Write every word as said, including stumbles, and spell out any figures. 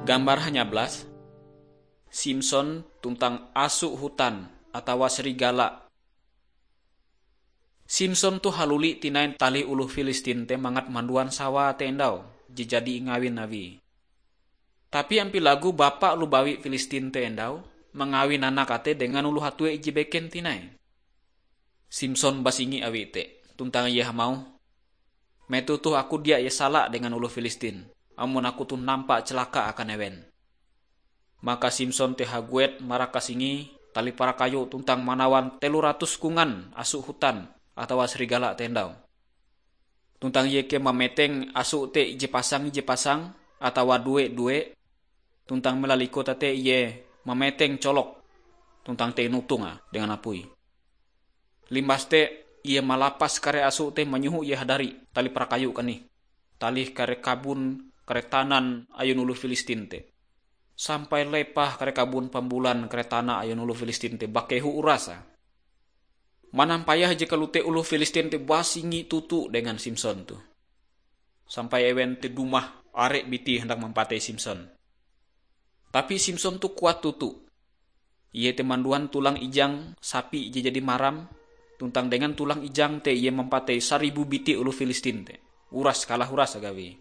Gambar hanyablas, Simson tuntang asu hutan atawa serigala. Simson toh haluli tinai talih oloh Filistin te mangat manduan sawae te endau je jadi ingawin awie. Tapi ampie lagu bapa oloh bawi Filistin te endau mangawin anake te dengan oloh hatue ije beken tinai. Simson basingi awi te, tuntang ie hamauh, "Metoh toh aku dia ie sala dengan oloh Filistin, amon aku toh nampa celaka akan ewen." Maka Simson te haguet marakas singie talih parakayu tuntang manawan telo ratus kongan asu hutan atawa serigala te endau. Tuntang ie kea mameteng asu te ije pasang ije pasang atawa due-due, tuntang melaliko tete ie mameteng colok tuntang te inotong dengan apui. Limbas te, ie malapas kare asu te manyoho ie hadari talih parakayu kanih, talih kare kabon, kare tanan ayun oloh Filistin te. Sampai lepah kare kabon pambulan kare tana ayun oloh Filistin te bakehu urase. Manampayah je kalote oloh Filistin te basingi toto dengan Simson toh. Sampai ewen te dumah are biti handak mampatei Simson. Tapi Simson toh kuat toto. Ie te manduan tulang ijang sapi je jadi maram, tuntang dengan tulang ijang te ie mampatei saribu biti oloh Filistin te. Uras kalah uras agawi.